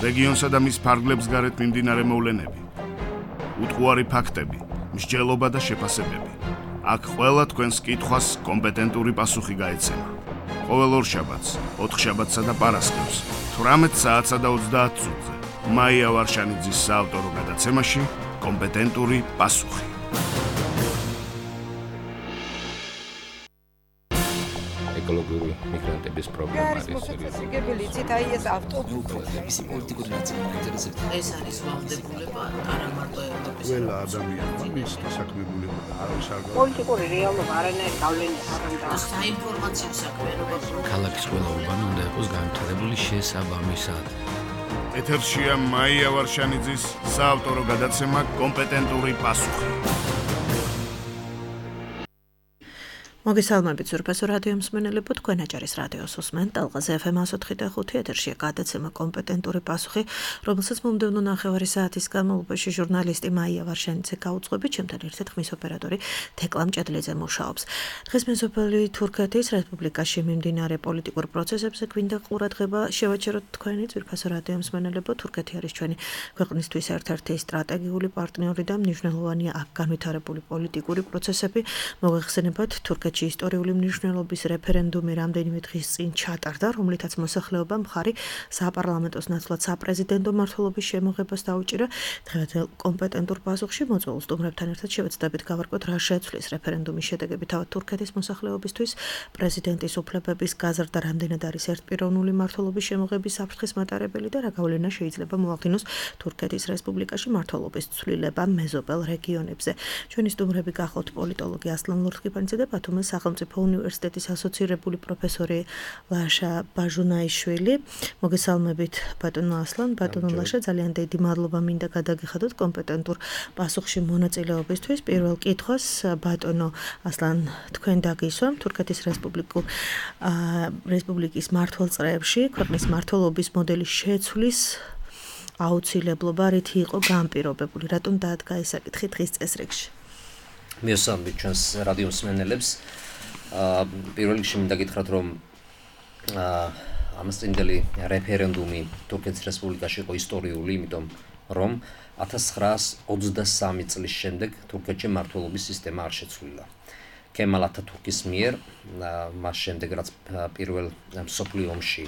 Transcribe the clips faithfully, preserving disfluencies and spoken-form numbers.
რეგიონსა და მის ფარგლებს გარეთ მიმდინარე მოვლენები, უტყუარი ფაქტები, მსჯელობა და შეფასებები. აქ ყველა თქვენს კითხვას კომპეტენტური პასუხი გაეცემა. ყოველ ორშაბათს, ოთხშაბათსა და პარასკევს, თვრამეტ საათსა და ოცდაათ წუთზე, მაია ვარშანიძის საავტორო გადაცემაში კომპეტენტური პასუხი. ეკოლოგიური მიგრანტების პრობლემა არის მოსაწესრიგებელი იცით აი ეს ავტობუსების პოლიტიკური ნაციონალიზაცია ეს არის ვალდებულება არა მარტო ევროპის ყველა ადამიანმა მის დასაქმებულება არის არ პოლიტიკური რეალობა არანაირ გავლენას არ აქვს საინფორმაციო საქმიანობა ქალაქის ყველა უბანი უნდა იყოს განვითარებული შესაბამისად. ეთერშია მაია ვარშანიძის საავტორო გადაცემა კომპეტენტური პასუხი. მოგესალმებით ზურბასო რადიო მსმენელებო, თქვენ აჭარის რადიოს უსმენთ ტალღაზე ეფ ემ εκατო ოთხი და ხუთი ეთერშია გადაცემა კომპეტენტური პასუხი, რომელსაც მომდევნო ნახევარი საათის განმავლობაში ჟურნალისტი მაია ვარშანიძე გაუძღვებით, ჩემთან ერთად ხმის ოპერატორი თეკლამ ჭედლიძე მუშაობს. დღეს მეზობელი თურქეთის რესპუბლიკაში მიმდინარე პოლიტიკურ პროცესებზე გვინდა ყურადღება შევაჩეროთ თქვენი ზურბასო რადიო მსმენელებო. თურქეთი არის ჩვენი ქვეყნისთვის ერთ-ერთი სტრატეგიული პარტნიორი და მნიშვნელოვანია აქ განვითარებული პოლიტიკური პროცესები. მოგეხსენებათ თურქეთის ისტორიული მნიშვნელობის რეფერენდუმი რამდენიმე დღის წინ ჩატარდა, რომლითაც მოსახლეობამ მხარი საპარლამენტოს ნაცვლად საპრეზიდენტო მმართველობის შემოღებას დაუჭირა. დღევანდელ კომპეტენტურ პასუხში მოწვეულ სტუმრებთან ერთად შევეცდებით გავარკვიოთ, რა შეცვლის რეფერენდუმის შედეგები თავად თურქეთის მოსახლეობისთვის, პრეზიდენტის უფლებების გაზრდა რამდენად არის ერთპიროვნული მმართველობის შემოღების საფრთხის მატარებელი და რა გავლენა შეიძლება მოახდინოს თურქეთის რესპუბლიკაში მმართველობის ცვლილება მეზობელ რეგიონებზე. ჩვენი სტუმრები გახლავთ პოლიტოლოგი ასლან ლორთქიფანიძე და ბათუმის სახელმწიფო უნივერსიტეტის ასოცირებული პროფესორი ლაშა ბაჟუნაიშვილი. მოგესალმებით ბატონო ასლან, ბატონო ლაშა, ძალიან დიდი მადლობა მინდა გადაგიხადოთ კომპეტენტურ პასუხში მონაწილეობისთვის. პირველ კითხვას ბატონო ასლან, თქვენ დაგისვამ თურქეთის რესპუბლიკურ რესპუბლიკის მმართველ წრეებში ქვეყნის მმართველობის მოდელის შეცვლის აუცილებლობა რითი იყო განპირობებული, რატომ დაადგა ეს საკითხი დღის წესრიგში? მივესალმებით ჩვენს რადიო მსმენელებს. პირველ რიგში მინდა გითხრათ, რომ ამასწინდელი რეფერენდუმი თურქეთის რესპუბლიკაში იყო ისტორიული, იმიტომ რომ ათას ცხრაას ოცდასამი წლის შემდეგ თურქეთში მმართველობის სისტემა არ შეცვლილა. კემალ ათათურქის მიერ მას შემდეგ, რაც პირველ მსოფლიო ომში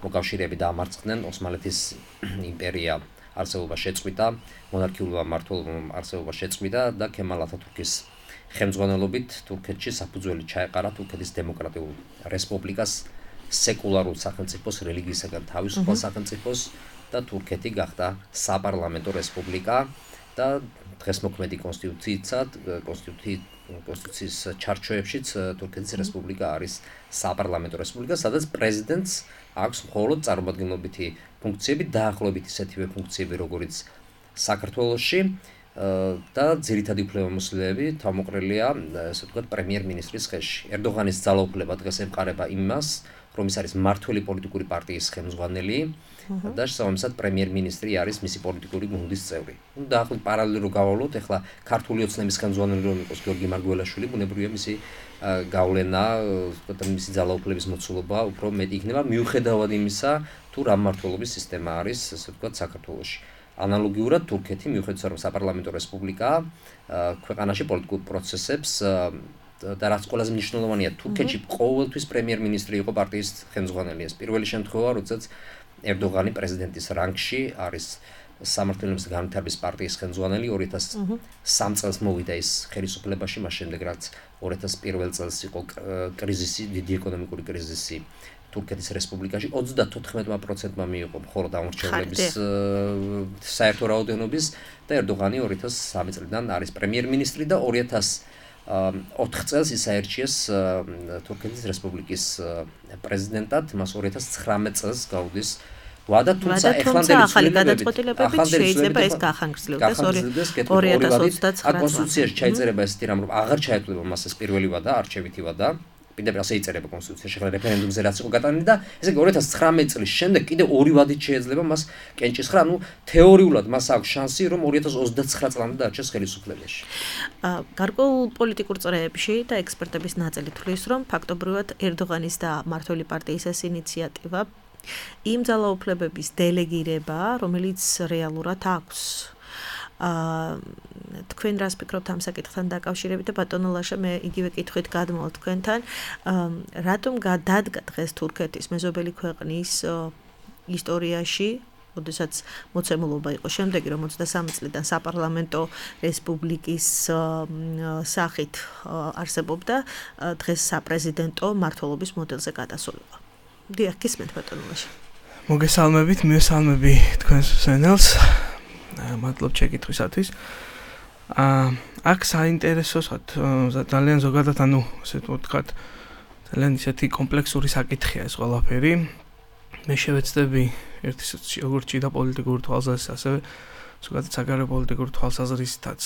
მოკავშირეები დაამარცხდნენ, ოსმალეთის იმპერია არსებობა შეწყვიტა, მონარქიულმა მმართველობამ არსებობა შეწყვიტა და კემალ ათათურქის ხელმძღვანელობით თურქეთში საფუძველი ჩაეყარა თურქეთის დემოკრატიულ რესპუბლიკას, სეკულარულ სახელმწიფოს, რელიგიისაგან თავისუფალ სახელმწიფოს და თურქეთი გახდა საპარლამენტო რესპუბლიკა და დღესმოქმედი კონსტიტუციითაც, კონსტიტუციის ჩარჩოებშიც თურქეთის რესპუბლიკა არის საპარლამენტო რესპუბლიკა, სადაც პრეზიდენტს აქვს მხოლოდ წარმომადგენლობითი ფუნქციები, დაახლოებით ისეთივე ფუნქციები, როგორც საქართველოში და ძირითადი უფლებამოსილები თავმოყრილია, ესე ვთქვათ, პრემიერ-მინისტრის ხელში. ერდოღანის ძალაუფლება დღეს ემყარება იმას, რომ ის არის მმართველი პოლიტიკური პარტიის ხელმძღვანელი და შესაბამისად პრემიერ-მინისტრი არის მისი პოლიტიკური გუნდის წევრი. ნუ დაახლოებით პარალელურად რო გავავლოთ, ეხლა ქართული ოცნების ხელმძღვანელი რომ იყოს გიორგი მარგველაშვილი, ბუნებრივია მისი გავლენა, ვთქვათ, მისი ძალაუფლების მოცულობა უფრო მეტი იქნება, მიუხედავად იმისა, თუ რა მმართველობის სისტემა არის, ესე ვთქვათ, საქართველოში. ანალოგიურად თურქეთი, მიუხედავად რომ საპარლამენტო რესპუბლიკაა, ქვეყანაში პოლიტიკურ პროცესებს და რაც ყველაზე მნიშვნელოვანია, თურქეთში ყოველთვის პრემიერ-მინისტრი იყო პარტიის ხელმძღვანელი. ეს პირველი შემთხვევა, როდესაც ერდოღანი პრეზიდენტის რანგში არის სამართლიანობის და განვითარების პარტიის ხელმძღვანელი. ორი ათას სამი წელს მოვიდა ის ხელისუფლებაში, მას შემდეგ რაც ორი ათას პირველ წელს იყო კრიზისი, დიდი ეკონომიკური კრიზისი თურქეთის რესპუბლიკაში, ოცდათოთხმეტ პროცენტმა მიიღო მხოლოდ ამორჩევლების საერთო რაოდენობის და ერდოღანი ორი ათას სამი წლიდან არის პრემიერ-მინისტრი და ორი ათას ოთხ წელს ის აერჩიეს თურქეთის რესპუბლიკის პრეზიდენტად, მას ორი ათას ცხრამეტ წელს გაუდის ვადა, თუმცა ეხლანდელი ახალი გადაწყვეტილებებით შეიძლება ეს გაახანგრძლივდეს ორი ათას ოცდაცხრა წელს. კონსტიტუციაში ჩაიწერება ესეთი რამ, რომ აღარ ჩაეთვლება მას ეს პირველი ვადა, არჩევითი ვადა. კიდევ ასე იწერება კონსტიტუციაში, ახლა რეფერენდუმზე რაც იყო გატანილი და ესე იგი ორი ათას ცხრამეტ წლის შემდეგ კიდევ ორი ვადით შეიძლება მას კენჭისხრა, ანუ თეორიულად მას აქვს შანსი, რომ ორი ათას ოცდაცხრა წლამდე დარჩეს ხელისუფლებაში. გარკვეულ პოლიტიკურ წრეებში და ექსპერტების ნაწილი თვლის, რომ ფაქტობრივად ერდოღანის და მმართველი პარტიის ეს ინიციატივა იმ ძალაუფლებების დელეგირება, რომელიც რეალურად აქვს. აა თქვენ რას ფიქრობთ ამ საკითხთან დაკავშირებით და ბატონო ლაშა მე იგივე კითხვით გადმოვალ თქვენთან რატომ გადადგა დღეს თურქეთის მეზობელი ქვეყნის ისტორიაში როდესაც მოცემულობა იყო შემდეგი რომ ოცდასამი წლიდან საპარლამენტო რესპუბლიკის სახით არსებობდა დღეს საპრეზიდენტო მმართველობის მოდელზე გადასულიყო. დიახ, გისმენთ ბატონო ლაშა. მოგესალმებით, მესალმები თქვენს სენელს. მადლობ შეკითხვისათვის. აა აქ საინტერესო ძალიან ზოგადად ანუ ასე ვთქვათ ძალიან ისეთი კომპლექსური საკითხია ეს ყველაფერი. მე შევეცდები ერთი როგორც ჭიდა პოლიტიკური თვალსაზრისით, ასევე ზოგადად საგარეო პოლიტიკური თვალსაზრისითაც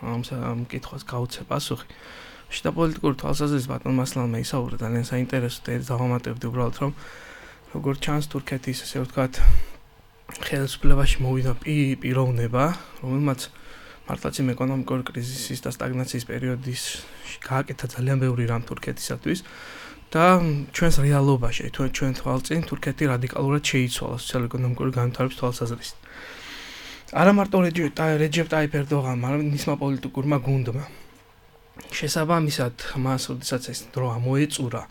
ამ ამ კითხვას გავუცე პასუხი. ჭიდა პოლიტიკური თვალსაზრისით ბატონმა მასლანმა ისაუბრა ძალიან საინტერესო და დავამატებდი უბრალოდ რომ როგორც ჩანს თურქეთის ასე ვთქვათ ხელისუფლებაში მოვიდა პიროვნება, რომელმაც მართლაც იმ ეკონომიკური კრიზისის და სტაგნაციის პერიოდში გააკეთა ძალიან ბევრი რამ თურქეთისათვის და ჩვენს რეალობაში, ჩვენ თვალწინ თურქეთი რადიკალურად შეიცვალა სოციალურ-ეკონომიკური განვითარების თვალსაზრისით. არა მარტო რეჯეპ ტაიპ ერდოღანმა, არამედ მისმა პოლიტიკურმა გუნდმა. შესაბამისად, მას როდესაც ეს დრო ამოეწურა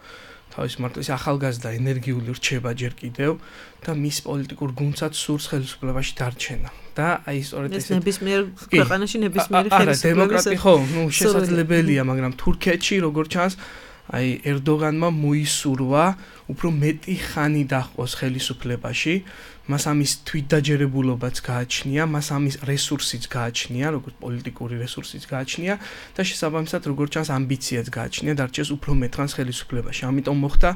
თავის მარტო ის ახალგაზრდა ენერგიული რჩება ჯერ კიდევ და მის პოლიტიკურ გუნდსაც სურს ხელისუფლებაში დარჩენა. და აი სწორედ ეს ნებისმიერ ქვეყანაში ნებისმიერი ხელისუფლების დემოკრატი ხო, ნუ შესაძლებელია, მაგრამ თურქეთში როგორც ჩანს აი ერდოღანმა მოისურვა უფრო მეტი ხანი დაჰყოს ხელისუფლებაში, მას ამის თვითდაჯერებულობაც გააჩნია, მას ამის რესურსიც გააჩნია, როგორც პოლიტიკური რესურსიც გააჩნია და შესაბამისად როგორც ჩანს ამბიციაც გააჩნია დარჩეს უფრო მეტხანს ხელისუფლებაში. ამიტომ მოხდა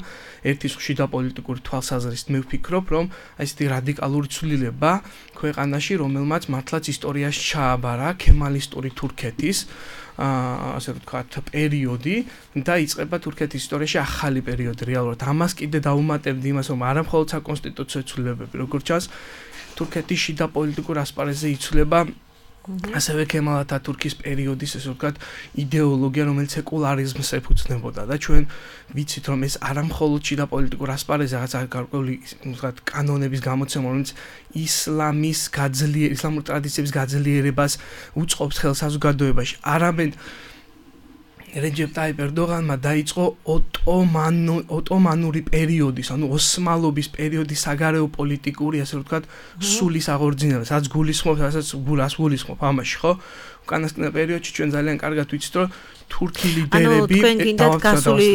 ერთი ხშირი პოლიტიკური თვალსაზრისით მე ვფიქრობ, რომ აი ესეთი რადიკალური ცვლილება ქვეყანაში, რომელმაც მართლაც ისტორიაში ჩააბარა ქემალისტური თურქეთის აა ასე ვთქვათ პერიოდი და იწყება თურქეთის ისტორიაში ახალი პერიოდი რეალურად. ამას კიდე დავუმატებდი იმას, რომ არა მხოლოდ საკონსტიტუციო ცვლილებები, როგორც ჩანს, თურქეთის შიდა პოლიტიკურ ასპარეზზე იცვლება ასევე ქემალ ათათურქის პერიოდის ასე ვთქვათ იდეოლოგია, რომელიც სეკულარიზმს ეფუძნებოდა და ჩვენ ვიცით, რომ ეს არა მხოლოდ შიდა პოლიტიკურ ასპარეზზე, რაღაც გარკვეული ვთქვათ კანონების გამოცემა, რომელიც ისლამის გაძლიერებას, ისლამური ტრადიციების გაძლიერებას უწყობს ხელს საზოგადოებაში. არამედ რეჯეპ ტაიპ ერდოღანმა დაიწყო ოტომანო ოტომანური პერიოდის, ანუ ოსმალობის პერიოდის საგარეო პოლიტიკური, ასე ვთქვათ, სულის აღორძინება, სადაც გულისხმობს, რასაც გულას გულისხმობ ამაში, ხო? უკანასკნელ პერიოდში ჩვენ ძალიან კარგად ვიცით, რომ თურქი ლიდერები ანუ თქვენ გინდათ გასული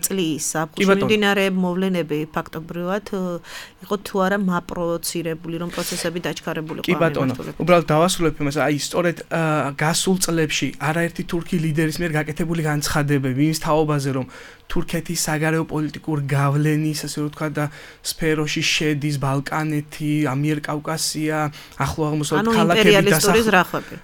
წლის საფუძვლიანარე მოვლენები ფაქტობრივად იყო თუ არა მაპროვოცირებული, რომ პროცესები დაჩქარებულიყო. კი ბატონო, უბრალოდ დავასრულებ იმას, აი სწორედ გასულ წლებში არაერთი თურქი ლიდერის მიერ გაკეთებული განცხადებები იმის თაობაზე, რომ თურქეთის საგარეო პოლიტიკურ გავლენის, ასე ვთქვათ, და სფეროში შედის ბალკანეთი, ამიერკავკასია, ახლო აღმოსავლეთ ქალაქები დასახლდა.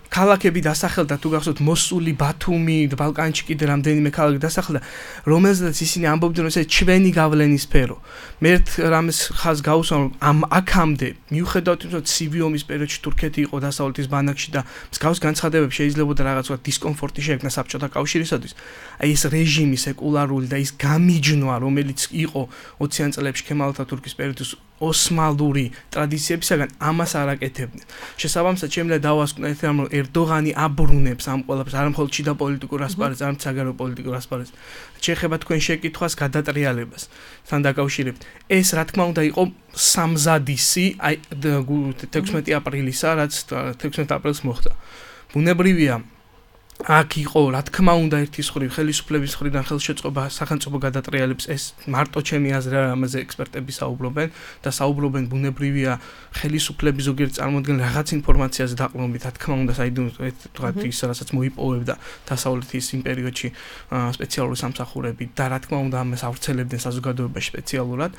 ქალაქები დასახლდა, თუ გახსოვთ, მოსული, ბათუმი, ბალკანეთში კიდე რამდენიმე ქალაქი დასახლდა, რომელზედაც ისინი ამბობდნენ, რომ ეს ჩვენი გავლენის სფერო. მე ერთ რამეს ხაზს გავუსვამ, რომ ამ აქამდე, მიუხედავად იმისა, რომ ცივი ომის პერიოდში თურქეთი იყო დასავლეთის ბანაკში და მსგავს განცხადებები შეიძლება რაღაც ვთქვათ დისკომფორტი შეექმნა საბჭოთა კავშირისათვის, აი ეს რეჟიმი სეკულარული და ის გამიჯნვა, რომელიც იყო ოციან წლებში ქემალ ათათურქის პერიოდის ოსმალური ტრადიციებისაგან, ამას არ აკეთებდნენ. შესაბამისად, შემიძლია დავასკვნო ერთ რამ, რომ ერდოღანი აბრუნებს ამ ყველაფერს, არა მხოლოდ შიდა პოლიტიკურ ასპარეზს, არამედ საგარეო პოლიტიკურ ასპარეზს. შეეხება თქვენ შეკითხვას გადატრიალებას თან დაკავშირებით. ეს რა თქმა უნდა იყო სამზადისი, აი თექვსმეტი აპრილისა, რაც თექვსმეტი აპრილს მოხდა. ბუნებრივია აქ იყო, რა თქმა უნდა, ერთის მხრივ ხელისუფლების მხრიდან ხელშეწყობა სახელმწიფო გადატრიალებს, ეს მარტო ჩემი აზრი არა, ამაზე ექსპერტები საუბრობენ და საუბრობენ ბუნებრივია ხელისუფლების ზოგიერთ წარმოადგენელ რაღაც ინფორმაციაზე დაყრდნობით, რა თქმა უნდა, საიდუმლო თქვათ ის, რასაც მოიპოვებდა დასავლეთის იმ პერიოდში სპეციალური სამსახურები და რა თქმა უნდა, ამას ავრცელებდნენ საზოგადოებაში სპეციალურად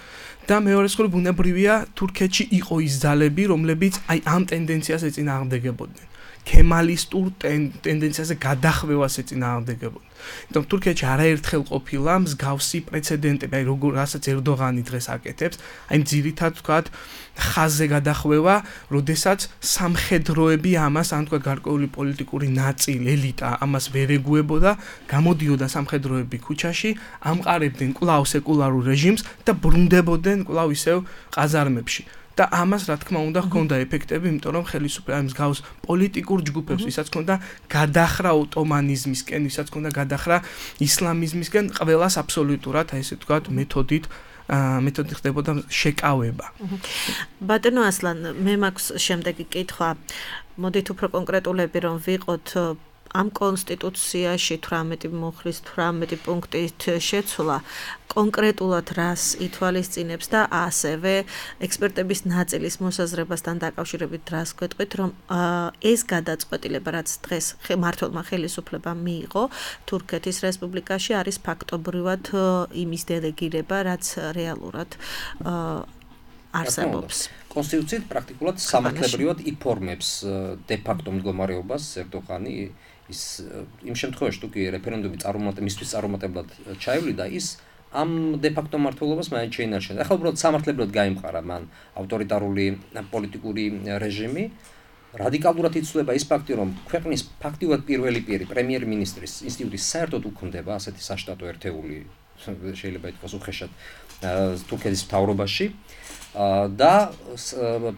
და მეორე მხრივ ბუნებრივია თურქეთში იყო ის ძალები, რომლებიც აი ამ ტენდენციას ეწინააღმდეგებოდნენ. ქემალისტურ ტენდენციაზე გადახვევას ეწინააღმდეგებოდა. იმიტომ თურქეთში არაერთხელ ყოფილა მსგავსი პრეცედენტები, აი როგორ რასაც ერდოღანი დღეს აკეთებს, აი ძირითად ვთქვათ ხაზზე გადახვევა, როდესაც სამხედროები ამას, ან თქვა გარკვეული პოლიტიკური ნაწილი, ელიტა ამას ვერ ეგუებოდა, გამოდიოდა სამხედროები ქუჩაში, ამყარებდნენ კვლავ სეკულარულ რეჟიმს და ბრუნდებოდნენ კვლავ ისევ ყაზარმებში. და ამას რა თქმა უნდა ჰქონდა ეფექტები, იმიტომ რომ ხელისუფლება მსგავს პოლიტიკურ ჯგუფებს, ვისაც ჰქონდა გადახრა ოტომანიზმისკენ, ვისაც ჰქონდა გადახრა ისლამიზმისკენ, ყველას აბსოლუტურად, აი ესე ვთქვათ, მეთოდით მეთოდი ხდებოდა შეკავება. ბატონო ასლან, მე მაქვს შემდეგი კითხვა. მოდით უფრო კონკრეტულები რომ ვიყოთ ამ კონსტიტუციაში თვრამეტი მუხლის თვრამეტი პუნქტით შეცვლა კონკრეტულად რას ითვალისწინებს და ასევე ექსპერტების ნაწილის მოსაზრებასთან დაკავშირებით რას გვეტყვით, რომ ეს გადაწყვეტილება, რაც დღეს მმართველმა ხელისუფლებამ მიიღო თურქეთის რესპუბლიკაში, არის ფაქტობრივად იმის დელეგირება, რაც რეალურად არსებობს. კონსტიტუციით პრაქტიკულად სამართლებრივად იფორმებს დე ფაქტო მდგომარეობას ერდოღანი ის იმ შემთხვევაში თუ კი რეფერენდუმი წარუმატებლად მისთვის წარუმატებლად ჩაივლიდა ის ამ დე ფაქტო მმართველობას მაინც შეინარჩუნა. ახლა უბრალოდ სამართლებრივად გაიმყარა მან ავტორიტარული პოლიტიკური რეჟიმი. რადიკალურად იცვლება ის ფაქტი, რომ ქვეყნის ფაქტიურად პირველი პირი პრემიერ-მინისტრის ინსტიტუტი საერთოდ უქმდება ასეთი საშტატო ერთეული შეიძლება ითქვას უხეშად თურქეთის მთავრობაში. და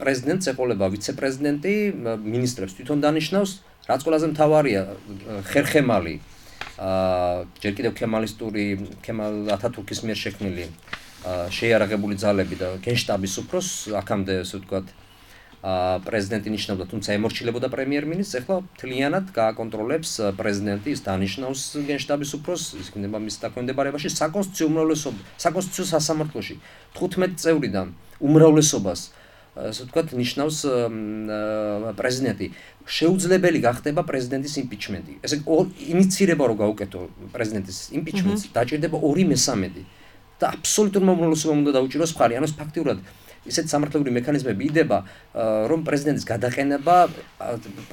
პრეზიდენტს ეყოლება ვიცე-პრეზიდენტი, მინისტრებს თვითონ დანიშნავს, რაც ყველაზე მთავარია ხერხემალი, ჯერ კიდევ ქემალისტური, ქემალ ათათურქის მიერ შექმნილი შეიარაღებული ძალები და გენშტაბის უფროს, აქამდე ასე ვთქვათ, პრეზიდენტი ნიშნავდა, თუმცა ემორჩილებოდა პრემიერ-მინისტრს, ახლა მთლიანად გააკონტროლებს პრეზიდენტი, ის დანიშნავს გენშტაბის უფროს, ის იქნება მის დაქვემდებარებაში საკონსტიტუციო უმრავლესობა, საკონსტიტუციო სასამართლოში თხუთმეტი წევრიდან უმრავლესობას, ასე ვთქვათ, ნიშნავს პრეზიდენტი. შეუძლებელი გახდება პრეზიდენტის იმპიჩმენტი. ესე ინიცირება რო გაუკეთო პრეზიდენტის იმპიჩმენტს, დაჭირდება ორი მესამედი და აბსოლუტურმა უმრავლესობამ უნდა დაუჭიროს მხარი. ანუ ფაქტიურად ისეთ სამართლებრივი მექანიზმები იდება, რომ პრეზიდენტის გადაყენება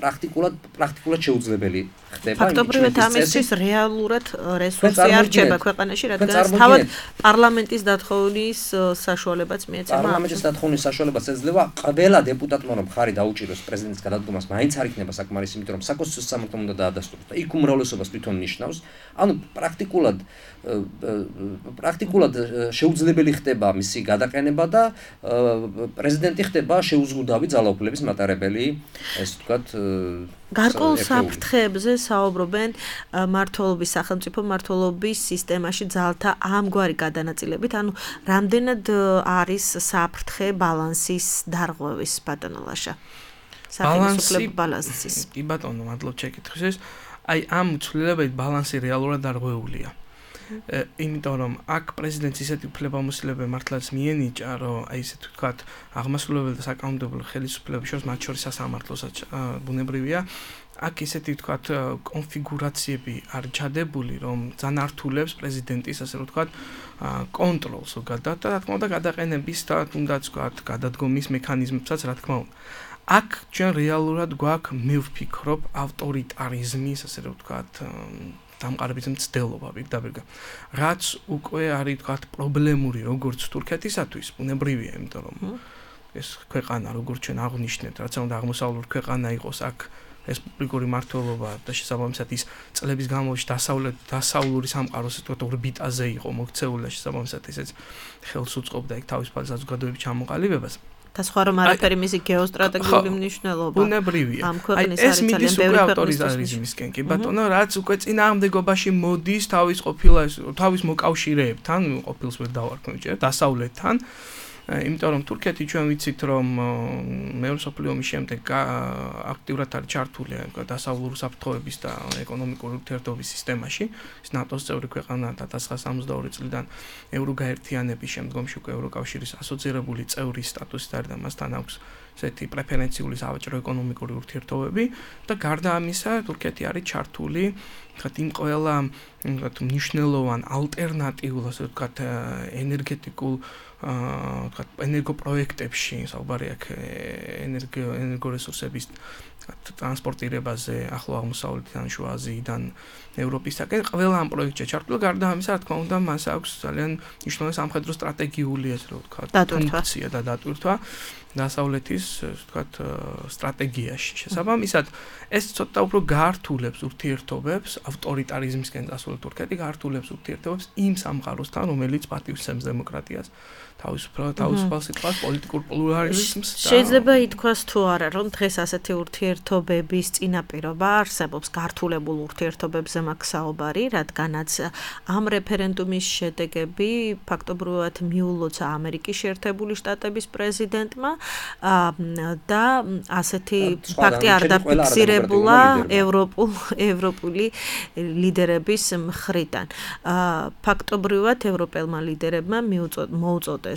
პრაქტიკულად პრაქტიკულად შეუძლებელი ხდება. ფაქტობრივად ამისთვის რეალურად რესურსი არ რჩება ქვეყანაში, რადგან თავად პარლამენტის დათხოვნის საშუალებაც მიეცემა. პარლამენტის დათხოვნის საშუალებაც ეძლევა ყველა დეპუტატმა, რომ მხარი დაუჭიროს პრეზიდენტის გადადგომას, მაინც არ იქნება საკმარისი, იმიტომ რომ საკონსტიტუციო სამართლომ უნდა დაადასტუროს და იქ უმრავლესობას თვითონ ნიშნავს. ანუ პრაქტიკულად პრაქტიკულად შეუძლებელი ხდება მისი გადაყენება და პრეზიდენტი ხდება შეუზღუდავი ძალაუფლების მატარებელი, ესე ვთქვათ, გარკვეულ საფრთხეებზე საუბრობენ მმართველობის სახელმწიფო მმართველობის სისტემაში ძალთა ამგვარი გადანაწილებით, ანუ რამდენად არის საფრთხე ბალანსის დარღვევის ბატონოლაშა. ბალანსის ბალანსის. კი ბატონო, მადლობ შეკითხვისთვის. აი ამ ცვლილებებით ბალანსი რეალურად დარღვეულია. იმიტომ რომ აქ პრეზიდენტს ისეთი უფლებამოსილება მართლაც მიენიჭა, რომ აი ესე ვთქვათ, აღმასრულებელი და საკანონმდებლო ხელისუფლებების შორის, მათ შორის სასამართლოსაც ბუნებრივია, აქ ისეთი ვთქვათ კონფიგურაციები არ ჩადებული, რომ ძალიან ართულებს პრეზიდენტის, ასე ვთქვათ, კონტროლს ზოგადად და რა თქმა უნდა გადაყენების და თუნდაც ვთქვათ, გადადგომის მექანიზმებსაც, რა თქმა უნდა. აქ ჩვენ რეალურად გვაქვს, მე ვფიქრობ, ავტორიტარიზმის, ასე ვთქვათ, დამყარების მცდელობა პირდაპირ. რაც უკვე არის ვთქვათ პრობლემური როგორც თურქეთისათვის, ბუნებრივია, იმიტომ რომ ეს ქვეყანა როგორც ჩვენ აღნიშნეთ, რაც უნდა აღმოსავლური ქვეყანა იყოს, აქ რესპუბლიკური მმართველობა და შესაბამისად ის წლების განმავლობაში დასავლეთ დასავლური სამყაროს ვთქვათ ორბიტაზე იყო მოქცეული და შესაბამისად ესეც ხელს უწყობდა იქ თავისუფალი საზოგადოების ჩამოყალიბებას. და სხვა რომ არაფერი მისი გეოსტრატეგიული მნიშვნელობა. ბუნებრივია. აი ეს მიდის უკვე ავტორიტარიზმისკენ, კი ბატონო, რაც უკვე წინააღმდეგობაში მოდის თავის ყოფილა თავის მოკავშირეებთან, ყოფილს ვერ დავარქმევ ჯერ, დასავლეთთან. იმიტომ რომ თურქეთი ჩვენ ვიცით რომ მეორე მსოფლიო ომის შემდეგ აქტიურად არის ჩართული დასავლური საფრთხეების და ეკონომიკური ურთიერთობის სისტემაში. ის ნატოს წევრი ქვეყანა და ათას ცხრაასა სამოცდაორი წლიდან ევროგაერთიანების შემდგომში უკვე ევროკავშირის ასოცირებული წევრის სტატუსით არის და მასთან აქვს ესეთი პრეფერენციული სავაჭრო ეკონომიკური ურთიერთობები და გარდა ამისა თურქეთი არის ჩართული თქვათ იმ ყველა თქვათ მნიშვნელოვან ალტერნატიულ ასე ვთქვათ ენერგეტიკულ ვთქვათ, ენერგოპროექტებში, საუბარი აქვს ენერგო ენერგორესურსების ტრანსპორტირებაზე ახლო აღმოსავლეთიდან, შუა აზიიდან, ევროპისაკენ, ყველა ამ პროექტში ჩართული, გარდა ამისა, რა თქმა უნდა, მას აქვს ძალიან მნიშვნელოვანი სამხედრო სტრატეგიული, ასე რომ ვთქვათ, ფუნქცია და დატვირთვა დასავლეთის, ვთქვათ, სტრატეგიაში. შესაბამისად, ეს ცოტა უფრო გაართულებს ურთიერთობებს, ავტორიტარიზმისკენ წასული თურქეთი გაართულებს ურთიერთობებს იმ სამყაროსთან, რომელიც პატივსცემს დემოკრატიას, თავისუფალ თავისუფალ სიტყვას, პოლიტიკურ პლურალიზმს. შეიძლება ითქვას თუ არა, რომ დღეს ასეთი ურთიერთობების წინაპირობა არსებობს, გართულებულ ურთიერთობებზე მაქვს საუბარი, რადგანაც ამ რეფერენდუმის შედეგები ფაქტობრივად მიულოცა ამერიკის შეერთებული შტატების პრეზიდენტმა და ასეთი ფაქტი არ დაფიქსირებულა ევროპულ ევროპული ლიდერების მხრიდან. ფაქტობრივად ევროპელმა ლიდერებმა მოუწოდეს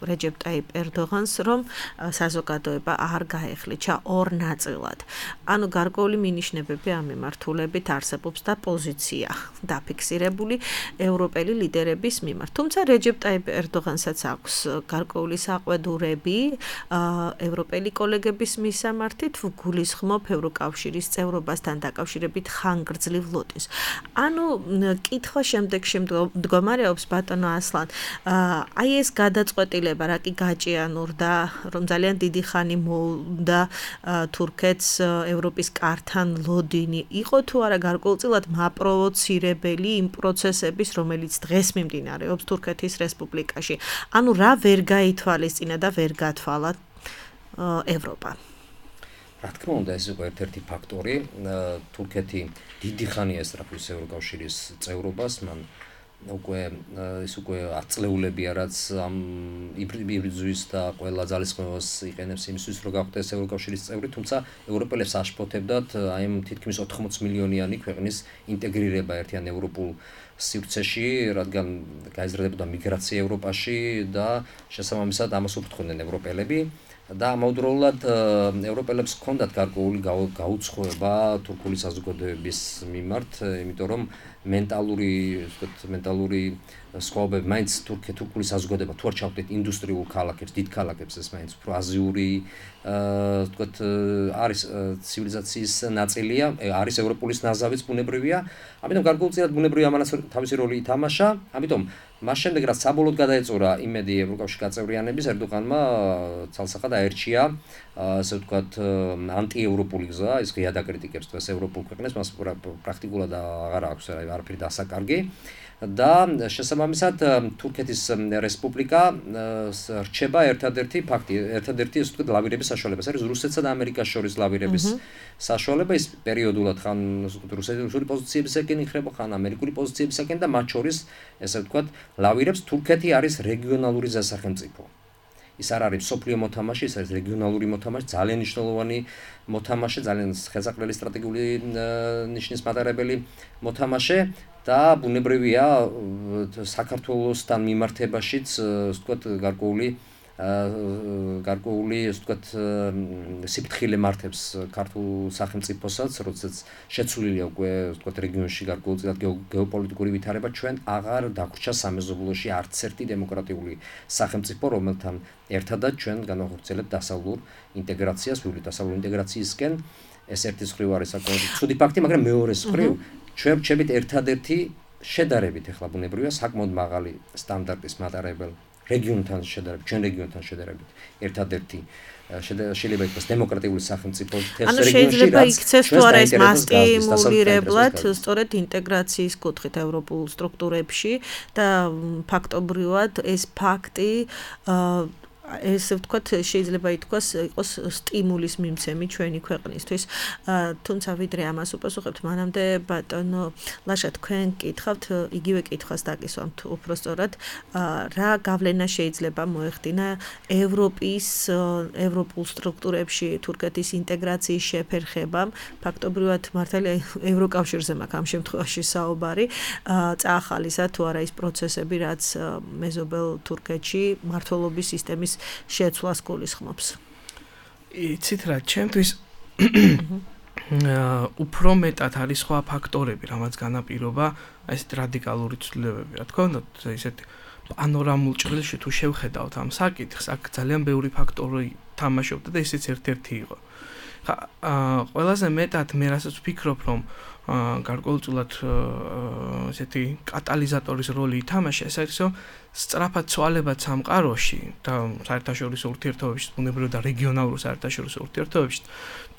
რეჯეპ ტაიპ ერდოღანს, რომ საზოგადოება არ გაეხლიჩა ორ ნაწილად. ანუ გარკვეული მინიშნებები ამ მიმართულებით არსებობს და პოზიცია დაფიქსირებული ევროპელი ლიდერების მიმართ. თუმცა რეჯეპ ტაიპ ერდოღანსაც აქვს გარკვეული საყვედურები ევროპელი კოლეგების მისამართით, გულისხმობ ევროკავშირის წევრობასთან დაკავშირებით ხანგრძლივ ლოტინს. ანუ კითხვა შემდეგში მდგომარეობს ბატონო ასლან, აი ეს გადაწყვეტილება რა კი გაჭიანურდა, რომ ძალიან დიდი ხანი მოუნდა თურქეთს ევროპის კართან ლოდინი, იყო თუ არა გარკვეულწილად მაპროვოცირებელი იმ პროცესების, რომელიც დღეს მიმდინარეობს თურქეთის რესპუბლიკაში. ანუ რა ვერ გაითვალისწინა და ვერ გათვალა ევროპა. რა თქმა უნდა, ეს იყო ერთ-ერთი ფაქტორი. თურქეთი დიდი ხანია ესწრაფვის ევროკავშირის წევრობას, მან უკვე ის უკვე აწლეულებია, რაც ამ იბრძვის და ყველა ძალისხმევას იყენებს იმისთვის, რომ გავხდეს ევროკავშირის წევრი, თუმცა ევროპელებს აშფოთებდათ აი ამ თითქმის ოთხმოცი მილიონიანი ქვეყნის ინტეგრირება ერთიან ევროპულ სივრცეში, რადგან გაიზრდებოდა მიგრაცია ევროპაში და შესაბამისად ამას უფრთხოდნენ ევროპელები. და ამავდროულად ევროპელებს ჰქონდათ გარკვეული გაუცხოება თურქული საზოგადოების მიმართ, იმიტომ რომ მენტალური, ვთქვათ, მენტალური სხვაობები მაინც თურქული საზოგადოება თუ არ ჩავხდით ინდუსტრიულ ქალაქებს, დიდ ქალაქებს, ეს მაინც უფრო აზიური, ვთქვათ, არის ცივილიზაციის ნაწილია, არის ევროპულის ნაზავიც ბუნებრივია, ამიტომ გარკვეულწილად ბუნებრივი ამანაც თავისი როლი ითამაშა, ამიტომ მას შემდეგ რაც საბოლოოდ გადაეწურა იმედი ევროკავშირის გაწევრიანების, ერდოღანმა ცალსახად აერჩია, ასე ვთქვათ, ანტიევროპული გზა, ის ღია დაკრიტიკებს დღეს ევროპულ ქვეყნებს, მას პრაქტიკულად აღარ აქვს არაფერი დასაკარგი. და შესაბამისად თურქეთის რესპუბლიკა რჩება ერთადერთი ფაქტი, ერთადერთი ასე ვთქვათ ლავირების საშუალება. ეს არის რუსეთსა და ამერიკას შორის ლავირების საშუალება, ის პერიოდულად ხან რუსული პოზიციებისაკენ იხრება, ხან ამერიკული პოზიციებისაკენ და მათ შორის ესე ვთქვათ ლავირებს. თურქეთი არის რეგიონალური ზესახელმწიფო. ის არ არის სოფლიო მოთამაშე, ის არის რეგიონალური მოთამაშე, ძალიან მნიშვნელოვანი მოთამაშე, ძალიან ხელსაყრელი სტრატეგიული ნიშნის მატარებელი მოთამაშე და ბუნებრივია საქართველოსთან მიმართებაშიც, ასე ვთქვათ, გარკვეული გარკვეული, ასე ვთქვათ, სიფრთხილე მართებს ქართულ სახელმწიფოსაც, როდესაც შეცვლილია უკვე, ასე ვთქვათ, რეგიონში გარკვეულწილად გეოპოლიტიკური ვითარება, ჩვენ აღარ დაგვრჩა სამეზობლოში არც ერთი დემოკრატიული სახელმწიფო, რომელთან ერთადაც ჩვენ განვახორციელებთ დასავლურ ინტეგრაციას, ვივლით დასავლურ ინტეგრაციისკენ. ეს ერთი მხრივ არის საკმაოდ ცუდი ფაქტი, მაგრამ მეორე მხრივ ჩვენ ვრჩებით ერთადერთი შედარებით ახლა ბუნებრივია საკმაოდ მაღალი სტანდარტის მატარებელ რეგიონთან შედარებით, ჩვენ რეგიონთან შედარებით ერთადერთი შეიძლება ითქვას დემოკრატიული სახელმწიფო თეს რეგიონში. ანუ შეიძლება იქცეს თუ არა ეს მასტიმულირებლად სწორედ ინტეგრაციის კუთხით ევროპულ სტრუქტურებში და ფაქტობრივად ეს ფაქტი ესე ვთქვათ, შეიძლება ითქვას, იყოს სტიმულის მიმცემი ჩვენი ქვეყნისთვის. თუმცა ვიდრე ამას უპასუხებთ, მანამდე ბატონო ლაშა, თქვენ კითხავთ, იგივე კითხვას დაკისვამთ უფრო სწორად, რა გავლენა შეიძლება მოეხდინა ევროპის, ევროპულ სტრუქტურებში თურქეთის ინტეგრაციის შეფერხებამ, ფაქტობრივად მართალია ევროკავშირზე მაქვს ამ შემთხვევაში საუბარი, წაახალისა თუ არა ის პროცესები, რაც მეზობელ თურქეთში მმართველობის სისტემის შეცვლას გულისხმობს. იცით რა, ჩემთვის უფრო მეტად არის სხვა ფაქტორები, რამაც განაპირობა ესეთ რადიკალური ცვლილებები. რა თქმა უნდა, ესეთ პანორამულ ჭრილში თუ შევხედავთ ამ საკითხს, აქ ძალიან ბევრი ფაქტორი თამაშობდა და ესეც ერთ-ერთი იყო. ხა ყველაზე მეტად მე რასაც ვფიქრობ, რომ გარკვეულწილად ესეთი კატალიზატორის როლი ითამაშა, ეს არის რომ სწრაფად ცვალებად სამყაროში და საერთაშორისო ურთიერთობებში, ბუნებრივ და რეგიონალურ საერთაშორისო ურთიერთობებში,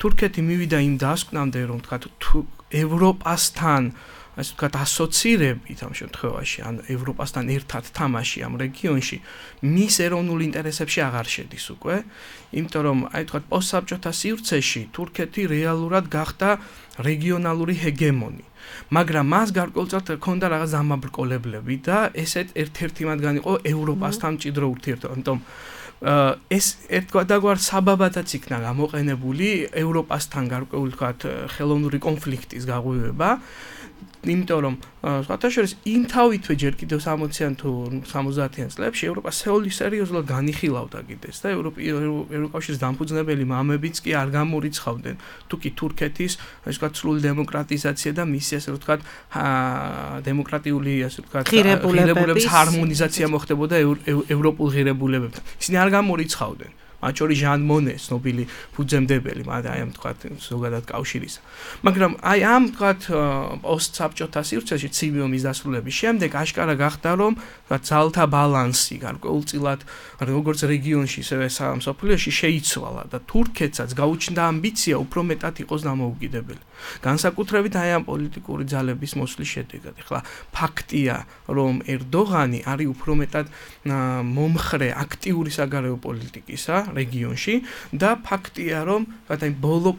თურქეთი მივიდა იმ დასკვნამდე, რომ თქვა თუ ევროპასთან ასე ვთქვათ, ასოცირებით ამ შემთხვევაში, ან ევროპასთან ერთად თამაში ამ რეგიონში, მის ეროვნულ ინტერესებში აღარ შედის უკვე, იმიტომ რომ, აი ვთქვათ, პოსტსაბჭოთა სივრცეში თურქეთი რეალურად გახდა რეგიონალური ჰეგემონი. მაგრამ მას გარკვეულწილად ჰქონდა რაღაც დამაბრკოლებლები და ესეთ ერთ-ერთი მათგანი იყო ევროპასთან მჭიდრო ურთიერთობა. ამიტომ ეს ერთგვარ საბაბადაც იქნა გამოყენებული ევროპასთან გარკვეული ვთქვათ, ხელოვნური კონფლიქტის გაღვივება. იმიტომ რომ სხვათა შორის იმ თავითვე ჯერ კიდევ სამოციან თუ სამოცდაათიან წლებში ევროპა სერიოზულად განიხილავდა კიდეც და ევროკავშირის დამფუძნებელი მამებიც კი არ გამორიცხავდნენ თუ კი თურქეთის ასე ვთქვათ სრული დემოკრატიზაცია და მისი ასე ვთქვათ დემოკრატიული ასე ვთქვათ ღირებულების ჰარმონიზაცია მოხდებოდა ევროპულ ღირებულებებთან. ისინი არ გამორიცხავდნენ. მათ შორის ჟან მონე, ცნობილი ფუძემდებელი, მაგრამ აი ამ თქვათ ზოგადად კავშირისა. მაგრამ აი ამ თქვათ პოსტსაბჭოთა სივრცეში ცივი ომის დასრულების შემდეგ აშკარა გახდა, რომ თქვათ ძალთა ბალანსი გარკვეულწილად როგორც რეგიონში, ისევე მსოფლიოში შეიცვალა და თურქეთსაც გაუჩნდა ამბიცია უფრო მეტად იყოს დამოუკიდებელი. განსაკუთრებით აი ამ პოლიტიკური ძალების მოსვლის შედეგად. ეხლა ფაქტია, რომ ერდოღანი არის უფრო მეტად მომხრე აქტიური საგარეო პოლიტიკისა რეგიონში და ფაქტია, რომ აი ბოლო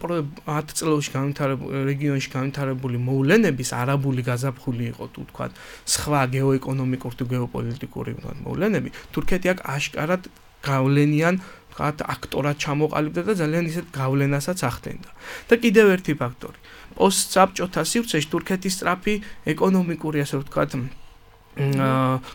ათ წლებში განვითარებული რეგიონში განვითარებული მოვლენების არაბული გაზაფხული იყო თუ თქვათ სხვა გეოეკონომიკური თუ გეოპოლიტიკური მოვლენები, თურქეთი აქ აშკარად გავლენიან ვთქვათ აქტორად ჩამოყალიბდა და ძალიან ისეთ გავლენასაც ახდენდა. და კიდევ ერთი ფაქტორი. პოსტსაბჭოთა სივრცეში თურქეთის სწრაფი ეკონომიკური ასე ვთქვათ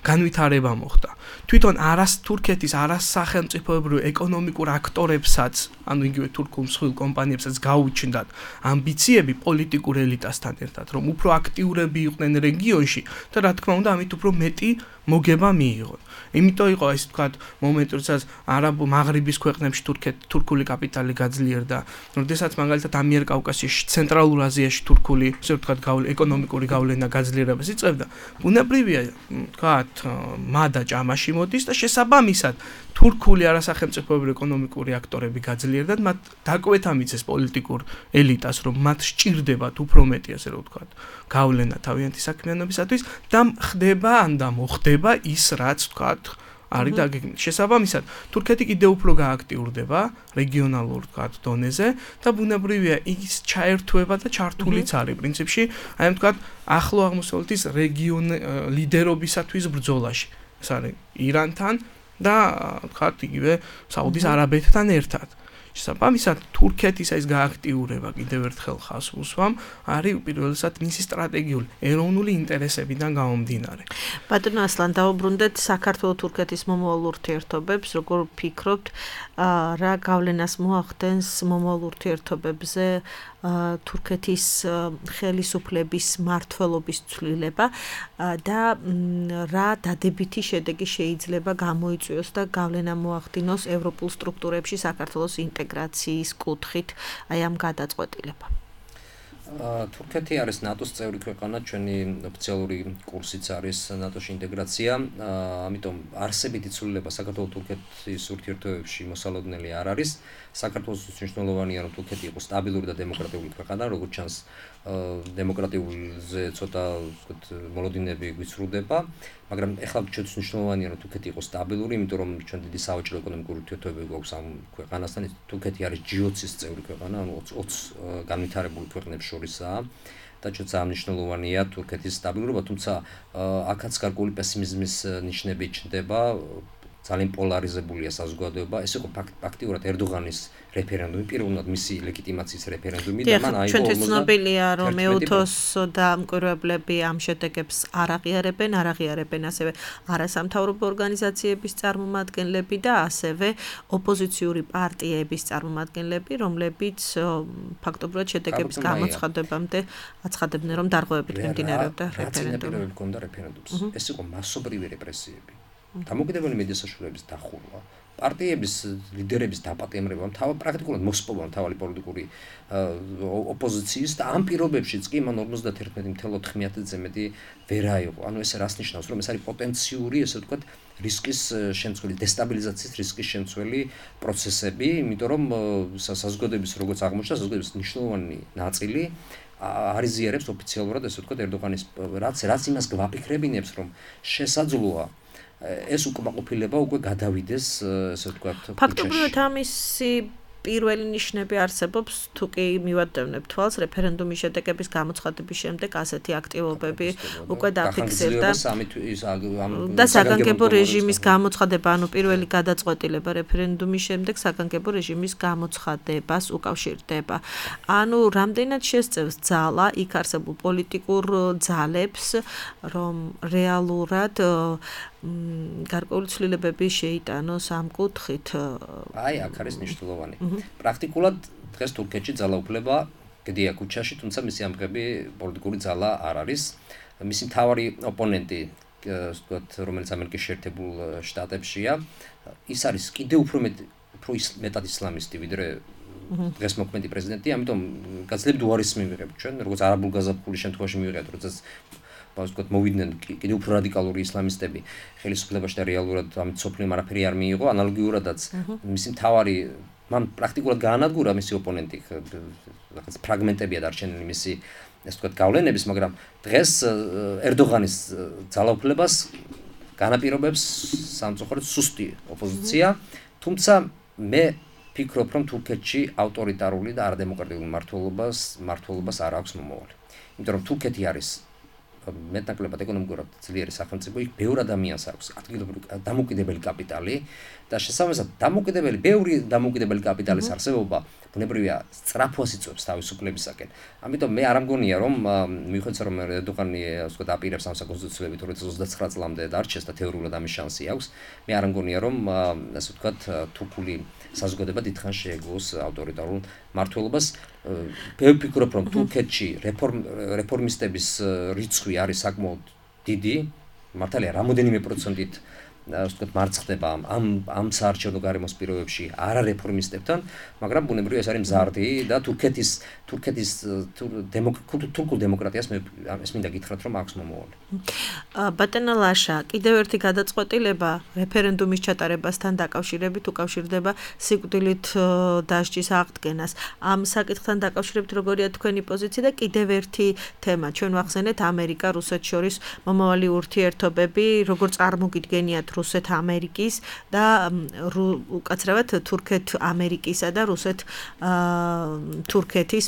განვითარება მოხდა. თვითონ არას თურქეთის არასახელმწიფოებრივ ეკონომიკურ აქტორებსაც, ანუ იგივე თურქულ მსხვილ კომპანიებსაც გაუჩნდათ ამბიციები პოლიტიკურ ელიტასთან ერთად, რომ უფრო აქტიურები იყვნენ რეგიონში და რა თქმა უნდა, ამით უფრო მეტი მოგება მიიღონ. იმიტომ იყო ეს თქვათ მომენტი, როდესაც არაბულ მაღრიბის ქვეყნებში თურქეთ თურქული კაპიტალი გაძლიერდა, როდესაც მაგალითად ამიერკავკასიაში, ცენტრალურ აზიაში თურქული, ასე ვთქვათ, ეკონომიკური გავლენა გაძლიერებას იწევდა. ბუნებრივია, თქვათ, მადა ჭამაში მოდის და შესაბამისად თურქული არასახელმწიფოებრივი ეკონომიკური აქტორები გაძლიერდათ, მათ დაკვეთა მიცეს პოლიტიკურ ელიტას, რომ მათ სჭირდებათ უფრო მეტი, ასე ვთქვათ, გავლენა თავიანთი საქმიანობისათვის და ხდება ან და მოხდება ის, რაც ვთქვათ, არის დაგეგმილი. შესაბამისად, თურქეთი კიდევ უფრო გააქტიურდება რეგიონალურ ვთქვათ დონეზე და ბუნებრივია ის ჩაერთვება და ჩართულიც არის პრინციპში, აი ამ ვთქვათ ახლო აღმოსავლეთის რეგიონ ლიდერობისათვის ბრძოლაში. ეს არის ირანთან და ვთქვათ იგივე საუდის არაბეთთან ერთად. შესაბამისად, თურქეთის ეს გააქტიურება კიდევ ერთხელ ხაზს უსვამ, არის უპირველესად მისი სტრატეგიული ეროვნული ინტერესებიდან გამომდინარე. ბატონო ასლან, დავუბრუნდეთ საქართველო-თურქეთის მომავალ ურთიერთობებს, როგორ ვფიქრობთ, რა გავლენას მოახდენს მომავალ ურთიერთობებზე თურქეთის ხელისუფლების მმართველობის ცვლილება და რა დადებითი შედეგი შეიძლება გამოიწვიოს და გავლენა მოახდინოს ევროპულ სტრუქტურებში საქართველოს ინტეგრაციის კუთხით აი ამ გადაწყვეტილება. თურქეთი არის ნატოს წევრი ქვეყანა, ჩვენი ოფიციალური კურსიც არის ნატოში ინტეგრაცია, ამიტომ არსებითი ცვლილება საქართველო-თურქეთის ურთიერთობებში მოსალოდნელი არ არის. საქართველოს მნიშვნელოვანია, რომ თურქეთი იყოს სტაბილური და დემოკრატიული ქვეყანა, როგორც ჩანს, დემოკრატიულზე ცოტა ვთქვათ მოლოდინები გვიცრუდება, მაგრამ ეხლა ჩვენთვის მნიშვნელოვანია, რომ თურქეთი იყოს სტაბილური, იმიტომ რომ ჩვენ დიდი სავაჭრო ეკონომიკური ურთიერთობები გვაქვს ამ ქვეყანასთან. თურქეთი არის ჯი ოცის წევრი ქვეყანა, ანუ ოცი განვითარებული ქვეყნებს შორისაა. და ჩვენ ძალიან მნიშვნელოვანია თურქეთის სტაბილურობა, თუმცა აქაც გარკვეული პესიმიზმის ნიშნები ჩნდება. ძალიან პოლარიზებულია საზოგადოება. ეს იყო ფაქტიურად ერდოღანის რეფერენდუმი, პირველად მისი ლეგიტიმაციის რეფერენდუმი და მან აიღო ჩვენთვის ცნობილია, რომ ეუთოს და მკვირვებლები ამ შედეგებს არ აღიარებენ, არ აღიარებენ ასევე არასამთავრობო ორგანიზაციების წარმომადგენლები და ასევე ოპოზიციური პარტიების წარმომადგენლები, რომლებიც ფაქტობრივად შედეგების გამოცხადებამდე აცხადებდნენ, რომ დარღვევებით მიმდინარეობდა რეფერენდუმი. ეს იყო მასობრივი რეპრესიები. დამოუკიდებელი მედია საშუალებების დახურვა, პარტიების ლიდერების დაპატიმრება, თავი პრაქტიკულად მოსპოვა თავი პოლიტიკური ოპოზიციის და ამ პირობებშიც კი მან ორმოცდაათი ნული ოთხ მეტი ვერ აიღო. ანუ ეს რას ნიშნავს, რომ ეს არის პოტენციური, ესე ვთქვათ, რისკის შემცველი, დესტაბილიზაციის რისკის შემცველი პროცესები, იმიტომ რომ საზოგადოების როგორც აღმოჩნდა, საზოგადოების მნიშვნელოვანი ნაწილი არიზიარებს ოფიციალურად, ესე ვთქვათ, ერდოღანის რაც რაც იმას გვაფიქრებინებს, რომ შესაძლოა ეს უკმაყოფილება უკვე გადავიდეს, ესე ვთქვათ, ფაქტობრივად ამისი პირველი ნიშნები არსებობს, თუ კი მივადევნებ თვალს, რეფერენდუმის შედეგების გამოცხადების შემდეგ ასეთი აქტივობები უკვე დაფიქსირდა და საგანგებო რეჟიმის გამოცხადება, ანუ პირველი გადაწყვეტილება რეფერენდუმის შემდეგ საგანგებო რეჟიმის გამოცხადებას უკავშირდება. ანუ რამდენად შესწევს ძალა იქ არსებულ პოლიტიკურ ძალებს, რომ რეალურად გარკვეული ცვლილებები შეიტანოს ამ კუთხით. აი, აქ არის მნიშვნელოვანი. პრაქტიკულად დღეს თურქეთში ძალაუფლება გდია ქუჩაში, თუმცა მისი ამღები პოლიტიკური ძალა არ არის. მისი მთავარი ოპონენტი, ვთქვათ, რომელიც ამერიკის შეერთებულ შტატებშია, ის არის კიდევ უფრო მეტად ისლამისტი, ვიდრე დღეს მოქმედი პრეზიდენტი, ამიტომ გაძლიერებულ უარეს მივიღებთ ჩვენ, როგორც არაბულ გაზაფხულის შემთხვევაში მივიღებთ, როდესაც ვთქვათ, მოვიდნენ კიდევ უფრო რადიკალური ისლამისტები ხელისუფლებაში და რეალურად ამ სოფლიო არაფერი არ მიიღო, ანალოგიურადაც მისი მთავარი მან პრაქტიკულად გაანადგურა მისი ოპონენტი, რაღაც ფრაგმენტებია დარჩენილი მისი, ესე ვთქვათ, გავლენების, მაგრამ დღეს ერდოღანის ძალაუფლებას განაპირობებს სამწუხაროდ სუსტი ოპოზიცია, თუმცა მე ფიქრობ, რომ თურქეთში ავტორიტარული და არადემოკრატიული მმართველობას მმართველობას არ აქვს მომავალი. იმიტომ რომ თურქეთი არის მეტნაკლებად ეკონომიკურად ძლიერი სახელმწიფო, იქ ბევრ ადამიანს აქვს ადგილობრივი დამოუკიდებელი კაპიტალი და შესაბამისად დამოუკიდებელი, ბევრი დამოუკიდებელი კაპიტალის არსებობა ბუნებრივია სწრაფვას იწვევს თავისუფლებისაკენ. ამიტომ მე არ ამგონია, რომ მიუხედავად რომ ერდოღანი, ასე ვთქვათ, აპირებს ამ საკონსტიტუციებით ორი ათას ოცდაცხრა წლამდე დარჩეს და თეორიულად ამის შანსი აქვს, მე არ ამგონია, რომ ასე ვთქვათ, თურქული საზოგადოება დიდხანს შეეგოს ავტორიტარულ მმართველობას. მე ვფიქრობ, რომ თურქეთში რეფორმისტების რიცხვი არის საკმაოდ დიდი, მართალია რამოდენიმე პროცენტით ასე ვთქვათ, მარცხდება ამ ამ საარჩევნო გარემოს პირობებში არა რეფორმისტებთან, მაგრამ ბუნებრივია ეს არის მზარდი და თურქეთის თურქეთის თურქულ დემოკრატიას მე ეს მინდა გითხრათ, რომ აქვს მომავალი. ბატონო ლაშა, კიდევ ერთი გადაწყვეტილება რეფერენდუმის ჩატარებასთან დაკავშირებით უკავშირდება სიკვდილით დასჯის აღდგენას. ამ საკითხთან დაკავშირებით როგორია თქვენი პოზიცია და კიდევ ერთი თემა, ჩვენ ვახსენეთ ამერიკა რუსეთს შორის მომავალი ურთიერთობები, როგორ წარმოგიდგენიათ რუსეთ-ამერიკის და უკაცრავად თურქეთ-ამერიკისა და რუსეთ-თურქეთის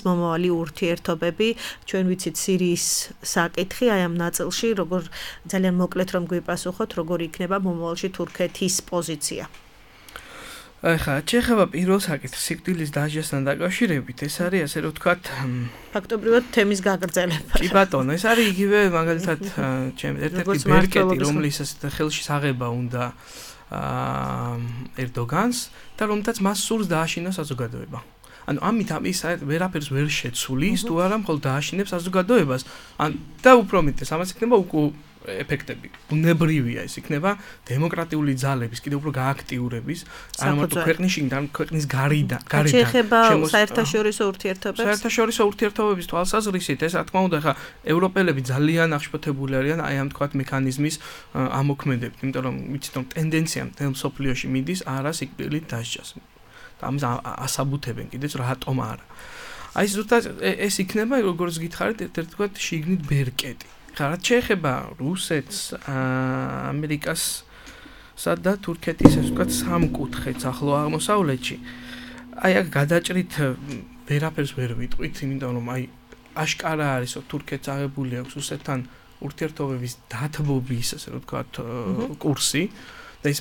მომავალი ურთიერთობები. ჩვენ ვიცით სირიის საკითხი, აი ამ ნაწილში, როგორ ძალიან მოკლედ რომ გვიპასუხოთ, როგორ იქნება მომავალში თურქეთის პოზიცია. ახლა ჩეხება პირველ საკითხს სიკვდილის დასჯასთან დაკავშირებით, ეს არის ასე რომ ვთქვათ, ფაქტობრივად თემის გაგრძელება. კი ბატონო, ეს არის იგივე მაგალითად ჩემი ერთ-ერთი ბერკეტი, რომლის ხელში საღება უნდა ერდოგანს და რომთაც მას სურს დააშინოს საზოგადოება. ანუ ამით ამის ვერაფერს ვერ შეცulis, თუ არა მხოლოდ დააშინებს საზოგადოებას. ან და უფრო მეტეს, ამას იქნება უკუ ეფექტები. ბუნებრივია ეს იქნება დემოკრატიული ძალების კიდევ უფრო გააქტიურების, არამარტო ქვეყნის შიგნიდან, ქვეყნის გარედან, გარედან. შეეხება საერთაშორისო ურთიერთობებს. საერთაშორისო ურთიერთობების თვალსაზრისით, ეს რა თქმა უნდა, ხა ევროპელები ძალიან აღშფოთებული არიან აი ამ თქვათ მექანიზმის ამოქმედებით, იმიტომ რომ ვიცით რომ ტენდენცია მთელ მსოფლიოში მიდის არა სიკვდილით დასჯას. და ამის ასაბუთებენ კიდეც რატომ არა. აი ზუსტად ეს იქნება როგორც გითხარით ერთ-ერთი თქვათ შიგნით ბერკეტი. ხა რაც შეეხება რუსეთს, ამერიკასა და თურქეთის ასე ვთქვათ სამკუთხედს ახლო აღმოსავლეთში. აი აქ გადაჭრით ვერაფერს ვერ ვიტყვით, იმიტომ რომ აი აშკარა არის რომ თურქეთს აღებული აქვს რუსეთთან ურთიერთობების დათბობის ასე ვთქვათ კურსი და ის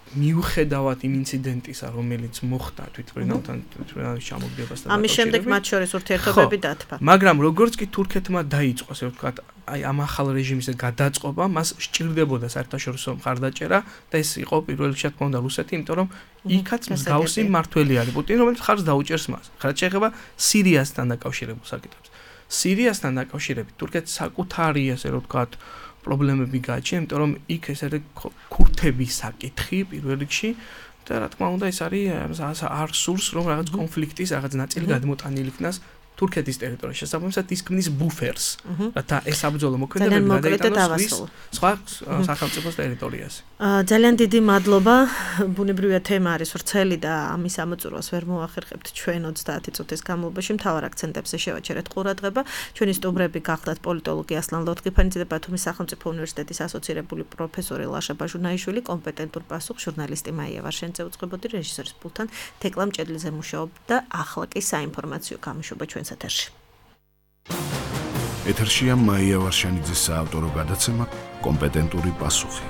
მიუხედავად იმ ინციდენტისა, რომელიც მოხდა თვითმფრინავთან თვითმფრინავის ჩამოგდებასთან. ამის შემდეგ მათ შორის ურთიერთობები დათბა. მაგრამ როგორც კი თურქეთმა დაიწყო, ასე ვთქვათ, აი ამ ახალ რეჟიმის გადაწყობა, მას სჭირდებოდა საერთაშორისო მხარდაჭერა და ეს იყო პირველ რიგში თქმა უნდა რუსეთი, იმიტომ რომ იქაც მსგავსი მმართველი არის პუტინი, რომელიც ხარს დაუჭერს მას. ხარც შეეხება სირიასთან დაკავშირებულ საკითხებს. სირიასთან დაკავშირებით თურქეთს საკუთარი, ასე ვთქვათ, პრობლემები გააჩნია, იმიტომ რომ იქ ეს არის ქურთების საკითხი პირველ რიგში და რა თქმა უნდა ეს არის არ სურს რომ რაღაც კონფლიქტის რაღაც ნაწილი გადმოტანილი იქნას თურქეთის ტერიტორიაში, შესაბამისად ის ქმნის ბუფერს, რათა ეს საბრძოლო მოქმედებები გადაიტანოს სხვა სახელმწიფოს ტერიტორიაზე. ძალიან დიდი მადლობა. ბუნებრივია თემა არის ვრცელი და ამის ამოწურვას ვერ მოახერხებთ ჩვენ ოცდაათი წუთის განმავლობაში. მთავარ აქცენტებზე შევაჩერეთ ყურადღება. ჩვენი სტუმრები გახლდათ პოლიტოლოგი ასლან ლორთქიფანიძე და ბათუმის სახელმწიფო უნივერსიტეტის ასოცირებული პროფესორი ლაშა ბაჟუნაიშვილი, კომპეტენტურ პასუხს ჟურნალისტი მაია ვარშენიძე უწყებოდი, რეჟისორის პულთან თეკლა მჭედლიძე მუშაობდა. ახლა კი საინფორმაციო გამოშვება ჩვენ ეთერში. ეთერშია მაია ვარშენიძის საავტორო გადაცემა კომპეტენტური პასუხი.